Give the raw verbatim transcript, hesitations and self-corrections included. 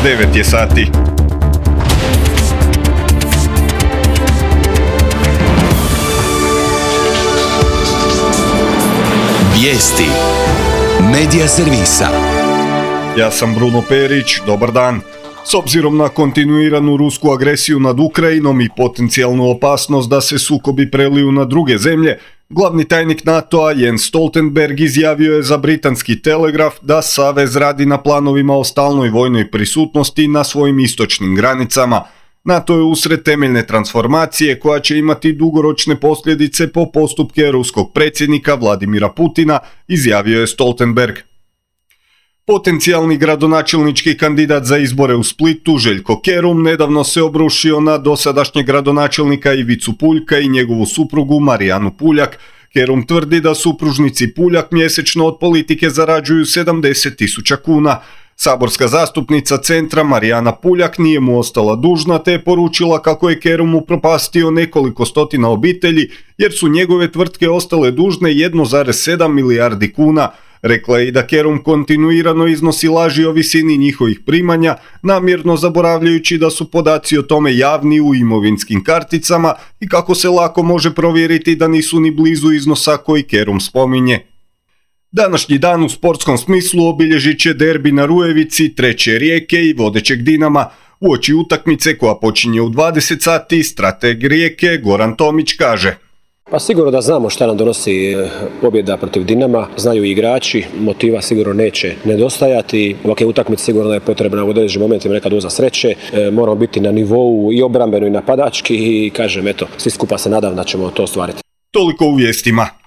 devet je sati. Vijesti Medija servisa. Ja sam Bruno Perić, dobar dan. S obzirom na kontinuiranu rusku agresiju nad Ukrajinom i potencijalnu opasnost da se sukobi preliju na druge zemlje, glavni tajnik NATO-a Jens Stoltenberg izjavio je za britanski Telegraf da Savez radi na planovima o stalnoj vojnoj prisutnosti na svojim istočnim granicama. NATO je usred temeljne transformacije koja će imati dugoročne posljedice po postupke ruskog predsjednika Vladimira Putina, izjavio je Stoltenberg. Potencijalni gradonačelnički kandidat za izbore u Splitu, Željko Kerum, nedavno se obrušio na dosadašnjeg gradonačelnika Ivicu Puljka i njegovu suprugu Marijanu Puljak. Kerum tvrdi da supružnici Puljak mjesečno od politike zarađuju sedamdeset tisuća kuna. Saborska zastupnica Centra Marijana Puljak nije mu ostala dužna te je poručila kako je Kerum upropastio nekoliko stotina obitelji jer su njegove tvrtke ostale dužne jedan zarez sedam milijardi kuna. Rekla je i da Kerum kontinuirano iznosi laži o visini njihovih primanja, namjerno zaboravljajući da su podaci o tome javni u imovinskim karticama i kako se lako može provjeriti da nisu ni blizu iznosa koji Kerum spominje. Današnji dan u sportskom smislu obilježit će derbi na Rujevici, treće Rijeke i vodećeg Dinama. Uoči utakmice koja počinje u dvadeset sati, strateg Rijeke Goran Tomić kaže: Pa sigurno da znamo šta nam donosi pobjeda protiv Dinama, znaju i igrači, motiva sigurno neće nedostajati. Ovakve utakmice sigurno je potrebna u određenim momentima neka doza sreće, e, moramo biti na nivou i obrambeno i napadački i kažem, eto, svi skupa se nadam da ćemo to ostvariti. Toliko u vijestima.